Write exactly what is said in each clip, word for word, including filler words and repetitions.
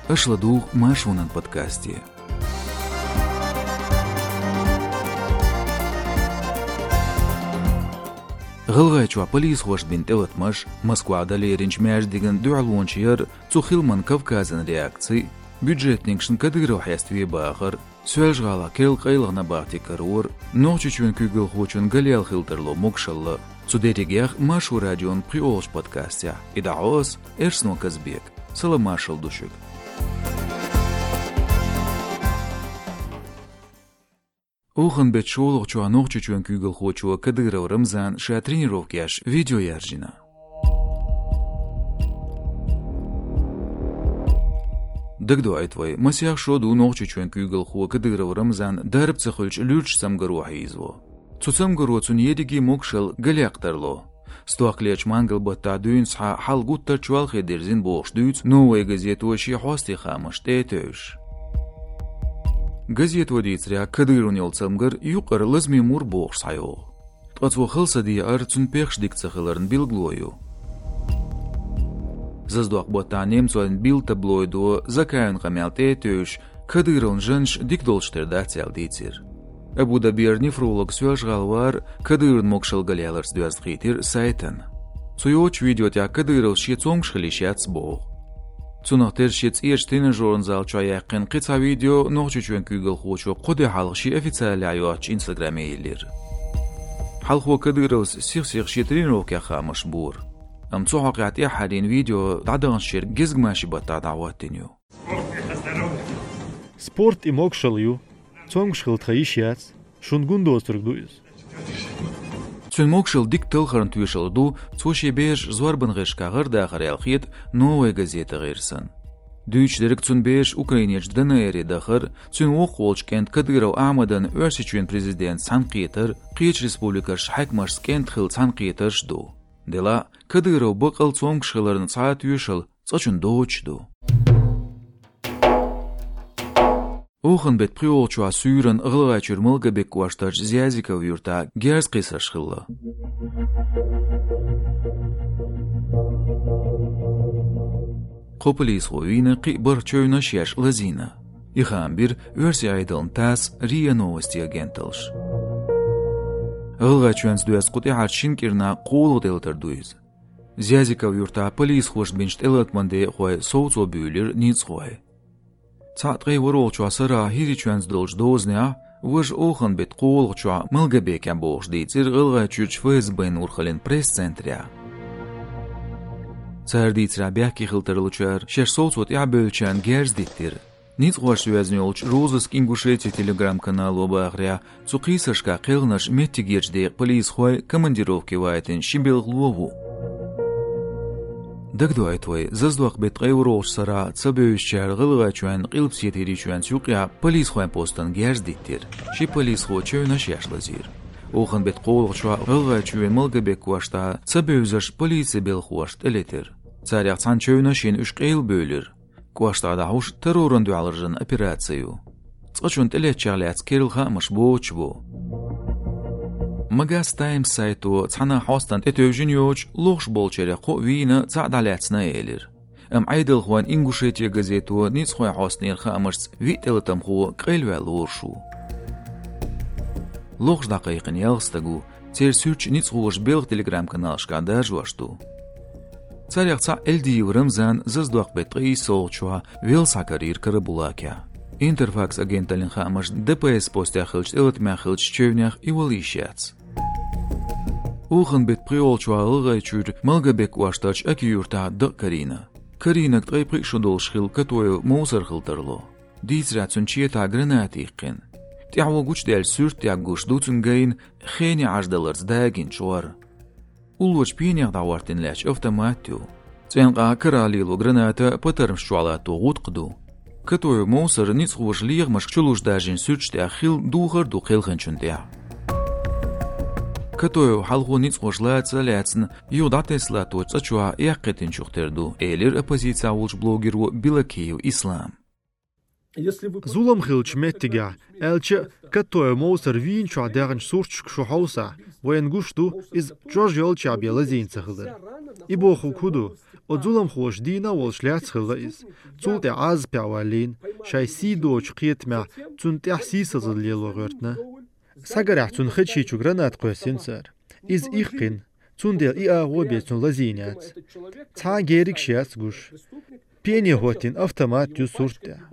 Аша ладугӀу Маршонан подкасте. ГӀалгӀайчохь полисхошна бина тӀелатамаш, Москвахь дан леринчу маьждиган дуьхьалонаш яр, цу хиламна Кавказан реакци, бюджетникашна Кадыров хьеставе бахар, Соьлжа-ГӀалахь керла къайлаха набахти карор, Нохчийчоьнан куьйгалхочун галъяла хила тарло могушалла. Цу дерригех Маршо радион пхоьалгӀачу подкастехь. И дӀахьо ас, Эрсано Казбек. Салам-маршалла ду шуьга. Оханан беттан шолгӀачохь Нохчийчоьнан куьйгалхочо Кадыров Рамзана ша тренировка еш видео яржийна. Дагадоуьйту вай, масех шо ду Нохчийчоьнан куьйгалхо Кадыров Рамзан дарба ца хуьлучу луьрачу цамгаро хьийзаво. Цу цамгаро цунна ерриге могушалла галъяккха тарло. Стохкалерчу мангал-баттахь дуьйна схьа хьал гуттар а чолхе дирзина бохуш дуьйцу «Новая газето» шен хьостийн хаамашна тӀе а тевжаш. Газето дийцарехь, Кадыровна йолу цамгар юкъара лазаме мур бохуш схьайогӀу. Ткъа цо хала са дехьар цуьнан пехаш дика ца хиларна билгало ю. Заздоккху баттахь немцойн Бильд таблоидо Закаевн къамел тӀе а тевжаш, Кадыровн жаннаш дика долуш тера дац аьлла дийцира. Абу-Дабера нефролог Соьлжа-ГӀала вар Кадыровн могушалла галъяларца доьзна хийтира сайтана. Цо йоцучу видео тӀехь Кадыровс шен цомгуш хила йиш яц боху. Цунах терра шен цӀерачу тренажеран зал чохь яьккхина кхин цхьа видео Нохчийчоьнан куьйгалхочо кхо де хьалха шен официалехь йоцучу Инстаграме йиллира. Хьалхо Кадыровс сих-сиха шен тренировкех хаамаш бора. Амма цу хьокъехь тӀаьххьара йина видео дӀадаханчу шеран гезгмашин баттахь дӀахӀоттийна ю. Спорт и могушалла ю. Цомгуш хила тхан йиш яц. Шуна гун доцург ду иза. Цуьнан могушалла дика талхарна тоьшалла ду, цо шен бераш зорбан гӀирсашкахь гӀардахар аьлла хета «Новая газета» гӀирсан. Дуьйцуш дерг цуьнан бераш Украинерчу ДНР-е дахар, цуьнан воккхах волчу кӀентан Кадыров Ахьмадан Оьрсийчоьнан президентаца цхьаьнакхетар, кхечу республикашкахь хьаькамашца кӀентан хилла цхьаьнакхетарш а ду. Делахь а, Кадыров баккъал цомгуш хиларна цхьа а тоьшалла цкъачунна доцуш ду. Оханан беттан пхоьалгӀачохь суьйранна ГӀалгӀайчуьра Малгобек кӀоштарчу Зязиков юьртахь герз кхийсарш хилла. Кхо полисхо вийна, кхин а бархӀ чевнаш еш лазийна. И хаам бира оьрсийн Ӏедална ТАСС, РИА Новости агенталлаш. ГӀалгӀайчоьнца доьзна кху тӀаьххьарчу шина кӀирнахь кхоалгӀа тӀелатар ду иза. Зязиков юьртахь полисхошна бинчу тӀелатаман декъахой совцо буьйлира ницкъахой. Цхьаъ ткъе ворхӀалгӀачохь сарахь ХӀирийчоьнца долчу дозанехь, важа Оханан беттан кхоалгӀачохь Малгобекехь бохуш дийцира ГӀалгӀайчуьрчу ФСБ-н урхаллин пресс-центрехь. Цара дийцарехь, бехке хила тарлучара шаьш совцо тӀаьхьабевллачарна герз диттира. Ницкъахошца йоьзна йолчу «Розыск Ингушетии» телеграм-канало бахарехь, цу кхийсаршкахь кхелхинарш меттигерчу декъан полисхой командировке вайтина ши белхало ву. Дагадоуьйту вай, Заздоккху беттан ткъе ворхӀалгӀачу сарахь цабевзачара ГӀалгӀайчоьнна Къилбаседа ХӀирийчоьнца юкъехь полисхойн постана герз диттира. Ши полисхо чевнаш еш лазийра. Оханан беттан кхоалгӀачохь ГӀалгӀайчоьнан Малгобек кӀоштахь цабевзарш полицин белхахошна тӀелетира. Царех цхьана чевнаш йина уьш къайлабевлира. КӀоштахь дӀахьуш террорна дуьхьал раьзна операци ю. Цкъачунна тӀелеттачех лаьцна керла хаамаш боцуш бу. Магас Таймс сайто цхьана хьостана тӀетевжина йоцуш, лохуш болчарех кхоъ вийна, цхьаъ дӀалаьцна элира. Амма Ӏедалхойн «Ингушетия» газето ницкъахойн хьостанера хаамашца виъ тӀелатамхо къайлаваьлла лоруш ву. Лохуш дӀакхайкхина ялх стаг ву, церан суьрташ ницкъахоша белхан телеграм-каналашкахь даржош ду. Царех цхьаъ Эльдиев Рамзан Заздоккху беттан ткъе иссалгӀачохь велла схьакарийра Карабулакехь. Интерфакс агенталлин хаамашна, ДПС постехь хиллачу тӀелатамехь хиллачу чевнех и вала йиш яц. Оханан беттан пхоьалгӀачохь ГӀалгӀайчуьра Малгобек кӀоштарчу Аки-Юьртахь дакъа карийна. Карийнарг ткъе пхиъ шо долуш хилла Катоев Мовсар хила тарло. Дийцарехь, цуьнан четахь граната йиккхина. ТӀаьхьо гучудаьллачу суьрта тӀехь гуш ду цуьнан гайна хене Ӏаж даларца дагийна чкъор. Уллорчу пенех дӀахӀоттийна лаьтташ автомат ю. ЦӀенкъа карахь лело граната патармаш чохь латто гӀутакх ду. Катоев Мовсара ницкъахоша лехамашка чулуш даржийна суьрташ тӀехь хилла духар а ду кхелхинчунна тӀехь. Катоев хьалхо ницкъахоша лаца а лаьцна, юха дӀатесна латточу цӀа чохь эккхийтинчух тера ду, элира оппозицехь волчу блогеро Белокиев Ислама. Зулам хиллача меттигехь, аьлча а, Катаев Мовсар вийначохь даьхначу сурташка шу хьовсахь, вайна гуш ду, иза чӀожъяьлча бен лазийна ца хилар. И бохург хӀун ду? Оцу зуламхоша дийна а волуш лаьцна хилла иза. Цул тӀаьхьа Ӏазапехь валлийна, шайн сий доцучу кхетамехь цунна тӀехь сийсазалла лело гӀоьртина. Схьагарехь, цуьнан хечи чу граната кхоьссина цара. Иза иккхина, цундела и агӀо бен цунна лазийна яц. Цхьа а геригаш яц гуш. Пене хӀоттийна автомат ю сурт тӀехь.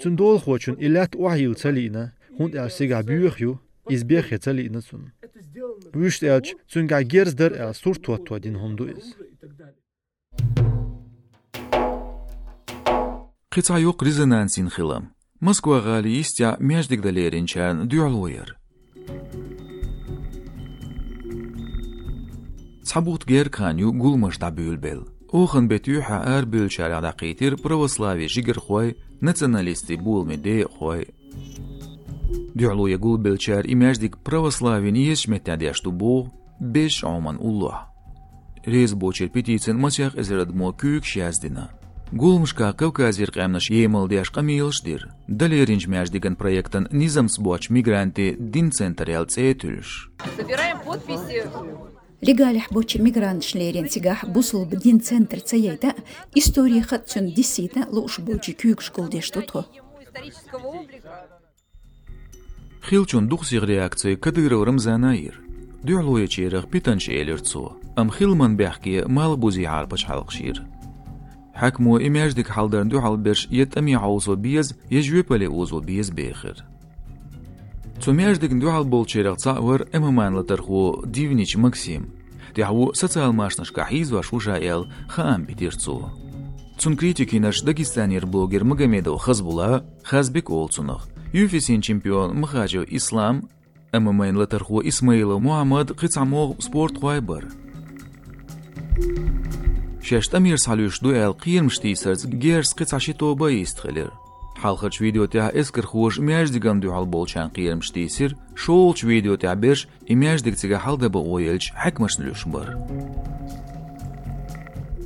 Цуьнан долахочунна и лаьтта охьайилла ца лиъна, хӀунда аьлча цигахь боьха ю, иза бехке ца лиъна цунна. Вуьшта аьлча, цуьнгахь герз дара аьлла, сурт хӀотто дина хӀума ду иза. Кхин цхьа йоккха резонанс йина хилам. Москва-гӀалин йистехь маьждиг дан леринчарна дуьхьало яр. Цхьа бутт гергга хан ю гуламаш дӀабуьйлабелла. Оханан беттан юьххьехь арабевллачарех дӀакхийтира православин жигархой, националистийн боламийн декъахой. Дуьхьало ян гулбеллачара и маьждиг православин езачу меттехь деш ду боху, безачу Ӏоман уллохь. Реза боцчеран петицина масех эзар адамо куьйгаш яздина. Гуламашкахь Кавказера къаьмнаш емал деш къамелаш дира. Дан леринчу маьждиган проектан низамца боцчу мигрантийн дин центр аьлла цӀе а туьллуш. Собираем подписи. Легалехь боцчу мигранташна лерина цигахь бусулба дин центр ца яйта а, истори хатта цуьнан диссийта а лууш болчу куьйгаш гулдеш ду тхо. Хиллачун дукха сиха реакци Кадыров Рамзана йира. Дуьхьало ечарах питанча элира цо, амма хиламан бехке малхбузехьара пачхьалкхаш йира. Хьаькамо и маьждиг хьалдарна дуьхьал берш я тӀаме хьовсо беза, я жоьпалле озо беза бехира. Цу маьждигна дуьхьал болчарех цхьаъ вара ММА-н латархо Дивнич Максим. ТӀаьхьо социал-машанашкахь хьийзош ву ша аьлла, хаам битира цо. Цунна критика йинарш Дагестанера блогер Магомедов Хазбулла, Хазбик олу цунах, ю эф си-н чемпион Махачев Ислам, ММА-н латархо Исмаилов Мухьаммад, кхин цхьа могӀа спортхой бара. Шаьш тӀамера схьалуьйш ду аьлла кхерамаш тийсарца герзаца кхин цхьа ши тоба а йистхилира. Хьалхарчу видео тӀехь эскархоша маьждигана дуьхьал болчарна кхерамаш тийсира, шолгӀачу видео тӀехь берш и маьждиг цигахь хьалдан бакъо елча хьаькамашна луьйш бара.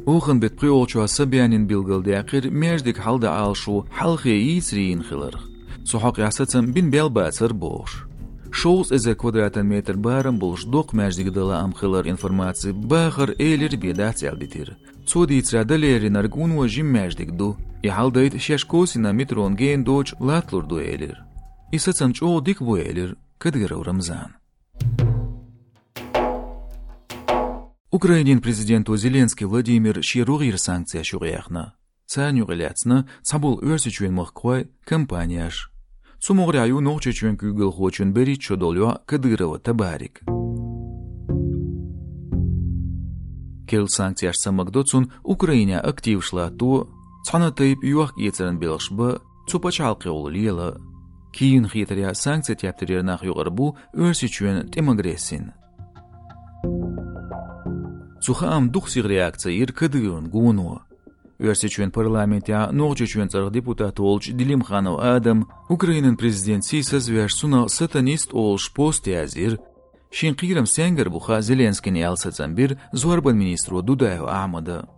Оханан беттан пхоьалгӀачохь Собянина билгалдаьккхира маьждиг хьалдан Ӏалашо хьалхе йийцаре йина хиларх. Цу хьокъехь сацам бина бел бацара бохуш. Шовзткъа эзар квадратан метр барам болуш доккха маьждиг дан лаам хилар информаци бахар элира бен дац аьлла дитира. Цо дийцарехь, дан леринарг вуно жима маьждиг ду. И хьалдайта шаьш косина метрон гена доцуш латталур ду элира. И сацам чӀогӀа дика бу элира Кадыров Рамзана. Украинин президенто Зеленский Владимира шен рогӀера санкцеш юкъаяьхна. Царна юкъа лаьцна цхьаболу Оьрсийчоьнан махкахой, компанеш. Цу могӀарехь ю Нохчийчоьнан куьйгалхочун берхӀитта шо долу йоӀ Кадырова Табарик. Керла санкцеш ца магадо цунна Украинехь активаш латто, цхьана тайпа йохк-эцаран белхаш бан, цу пачхьалкхехула лела. Киевна хетарехь, санкцийн тептарера нах юкъара бу Оьрсийчоьнан тӀеман агрессина. Цу хаамна дукха сиха реакци йира Кадыровн гоно. Оьрсийчоьнан парламентехь Нохчийчоьнан цӀарах депутат волчу Делимханов Адама Украинан президент сийсазвеш, цунах сатанист олуш пост язйира. Шен кхерам стенгара бу хаьа Зеленскийна аьлла сацам бира зорбан министро Дудаев Ахьмада.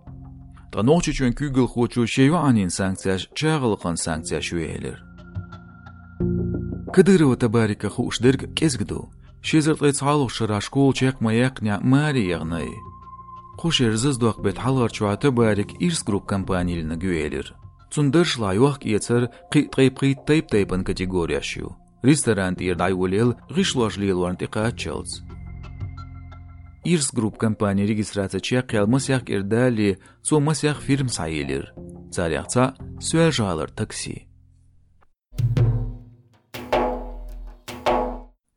Ткъа Нохчийчоьнан куьйгалхочо шен йоӀанна санкцеш чагӀалкхан санкцеш ю элира. Кадырова Табарика хууш дерг кӀезиг ду. Ши эзар ткъе цхьалгӀачу шарахь школа чекх ма яьккхинехь, маре яхна и. Кху шеран зазадоккху беттан хьалхарчохь Табарик Ирс Групп компани лелийнарг ю элира. Цуьнан даржехь йохк-эцар, кхин а ткъе пхийтта тайп-тайпана категореш ю. Ресторан тӀера дӀайолаелла гӀишлош лелорна тӀекхаччалц. Ирс Групп компанин регистраци чекхъяьлла масех кӀира далале, цо масех фирма схьайиллира. Царех цхьаъ — Соьлжа-ГӀалара такси.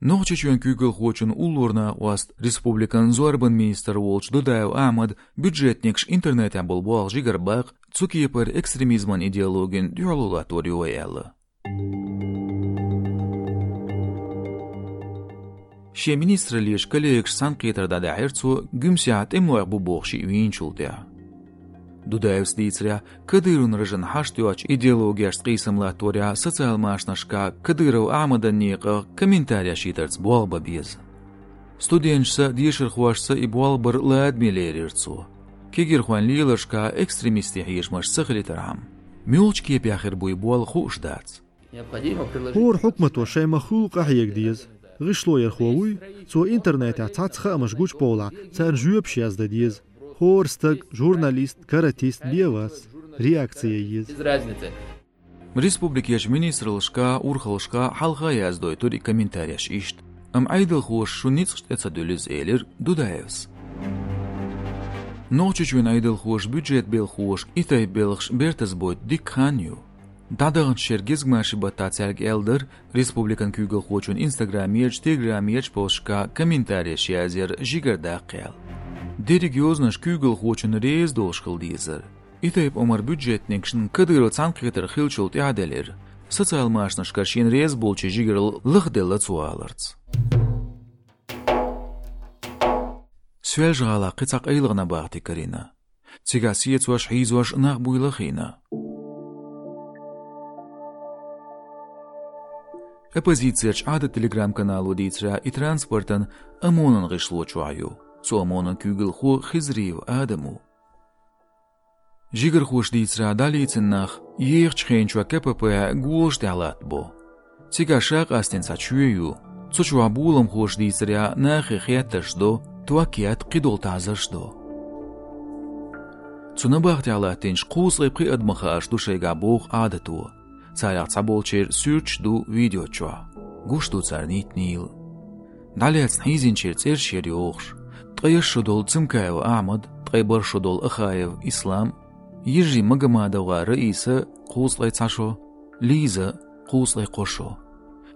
Нохчийчоьнан куьйгалхочун уллора накъост, республикан зорбан министр волчу Дудаев Ахьмада бюджетникаш интернетехь болу болх жигара баккха, цу кепара экстремизман идеологина дуьхьало латтор ю вай аьлла. Шен министраллин коллегашца цхьаьнакхетар дӀадаьхьира цо, Гуьмсехь тӀемалойх бу бохуш шиъ вийначул тӀаьхьа. Дудаевс дийцарехь, Кадыровн рожана хьашт йоцучу идеологешца къийсам латторехь социал-машанашкахь Кадыров Ахьмадан некъах комментареш йитарца болх бан беза. Студенташца, дешархошца и болх бар ладаме лерира цо, кегийрхойн леларшкахь экстремистийн хьежамаш ца хилийтархьама. Муьлхачу кепехь хир буй болла хууш дац. ХӀора хьукмато шайн ма-хуьллу къахьега деза. ГӀишлоярхо вуй, цо интернетехь цхьацца хаамаш гучу бовлахь, царна жоьпаш яздан деза. ХӀора стаг, журналист, каратист бен а вац, реакци ян еза. Республикерчу министраллашкахь, урхаллашкахь хьалха яздойтура и комментареш иштта. Амма Ӏедалхоша шун ницкъаш тӀе ца дуьллу иза, элира Дудаевс. Нохчийчоьнан Ӏедалхоша бюджетан белхахошка и тайпа белхаш бертаза бойту дикка хан ю. ДӀадаханчу шеран гезгмашин баттахь цаьрга аьлла дара, республикан куьйгалхочун инстаграмерчу, телеграмерчу посташкахь комментареш язъяр жигара даккха аьлла. Дерриг йозанаш куьйгалхочунна реза долуш хила дезара. И тайпа омра бюджетникашна Кадыров цхьаьнакхетар хиллачул тӀаьхьа делира. Социал машанашкара шена реза болчийн жигаралла лахделла цо аларца. Соьлжа-ГӀалахь кхин цхьа къайлагӀа набахти карийна. Цигахь сецош, хьийзош нах буйла а хиъна. Оппозицерчу Ӏадат телеграм-канало дийцарехь, и транспортан ОМОН-ан гӀишло чохь ю. Цу ОМОН-ан куьйгалхо Хизриев Адам ву. Жигархоша дийцарехь, дӀалецна нах ехачу хенан чохь КПП-хь голаш тӀехь латтабо. Цигахь ша къастийна цхьа чоь ю. Цу чохь, боламхоша дийцарехь, нахе хеттарш до, ток етта, кхидолу таӀзарш до. Цу набахтехь латтийначу кхузткъе пхи адамах хууш ду шайгахь боху Ӏадато. Царех цхьаболчеран суьрташ ду видео чохь. Гуш ду цара нийтинийла. ДӀалаьцна хьийзинчеран цӀераш яра йохуш. Ткъе исс шо долу Цымкаев Ахьмад, ткъе бархӀ шо долу Ахаев Ислам, йижарий МагомадовгӀар Раиса, кхузткъе цхьа шо, Лиза, кхузткъе кхо шо.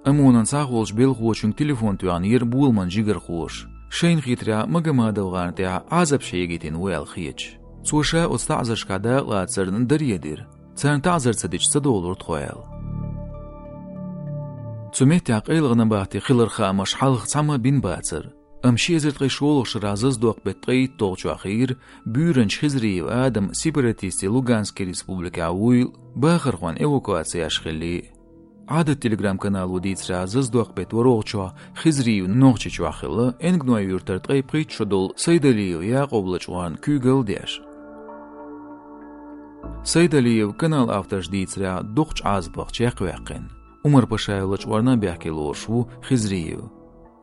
ОМОН-ан схьахолучу белхахочуьнга телефон тоьхнера боламан жигархоша. Шайна хетарехь, МагомадовгӀарна тӀехь Ӏазапаш хьегийтина ву аьлла хеташ. Цо ша оцу таӀзаршкахь дакъалацарна даре дира. Царна таӀзар ца дича, ца долура тхо аьлла. Цу меттехь къайлагӀа набахти хиларан хаамаш хьалха цхьамма а бина бацара. Амма ши эзар ткъе шолгӀачу шарахь зазадоккху беттан ткъе итталгӀачохь хийра буьйранча Хизриев Адам сепаратистийн Луганскан республикехь вуйла, бахархойн эвакуаци еш хиллий. Ӏадат телеграм-канало дийцарехь, зазадоккху беттан ворхӀалгӀачохь Хизриев Нохчийчохь хилла, Энгной-Юьртара ткъе пхийтта шо долу Сайдалиев Якъуб лачкъорна куьйгалла деш. Сайдалиев, каналан авторша дийцарехь, доккхачу Ӏазапах чекхваьккхина. Умар-Пашаев лачкъорна а бехке лоруш ву Хизриев.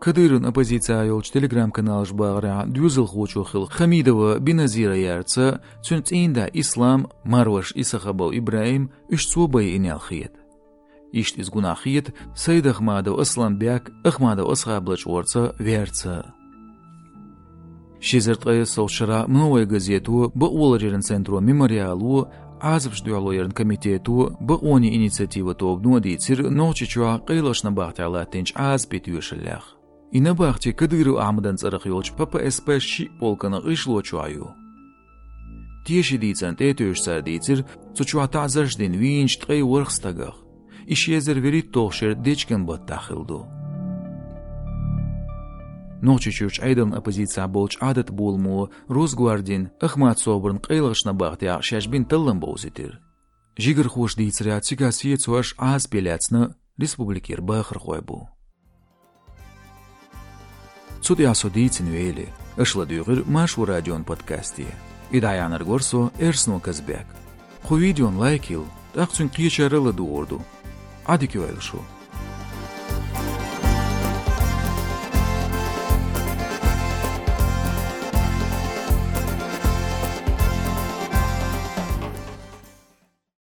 Кадыровн оппозици йолчу телеграм-каналаша бахарехь, доьзалхочо хилла Хамидова Беназира ярца, цуьнан цӀийнда Ислам, марваша Исахабов ИбрахӀим, уьш цо байина аьлла хета. Иштта иза гунахь хета Сайдахмадов Асламбек, Ахмадов Асхаб лачкъорца верца. Ши эзар ткъе иссалгӀачу шарахь «Новая газето», бакъоларъяран центро «Мемориало», Ӏазапаш дуьхьало яран комитето, бакъонийн инициатива тобано а дийцира Нохчийчохь къайлагӀчу набахтехь латтийначу Ӏазапийн тоьшаллех. И набахти Кадыров Ахьмадан цӀарах йолчу П П С П шиъ полкан гӀишло чохь ю. Тешин дийцарна тӀе а тевжаш, цара дийцира цу чохь таӀзарш дина вийначу ткъе ворхӀ стагах. И ши эзар вуьрхӀитталгӀачу шеран дечкен баттахь хилла ду. Нохчийчуьрчу Ӏедална оппозицехь болчу Ӏадат боламо Росгвардин Ахмат СобӀарна къайлагӀчу набахтехь шаьш бина таллам бовзийтира. Жигархоша дийцарехь, цигахь сецош, Ӏазапе лаьцна республикера бахархой бу. Цу тӀехь со дийцина вели, аша ладуьйгӀира Маршо радион подкасте. И дӀаяьхьнарг вара со, Эрсно Казбек. Кху видеона лайк йилла, тӀаккха цуьнга кхечара а ладугӀур ду. Ӏадика йойла шу.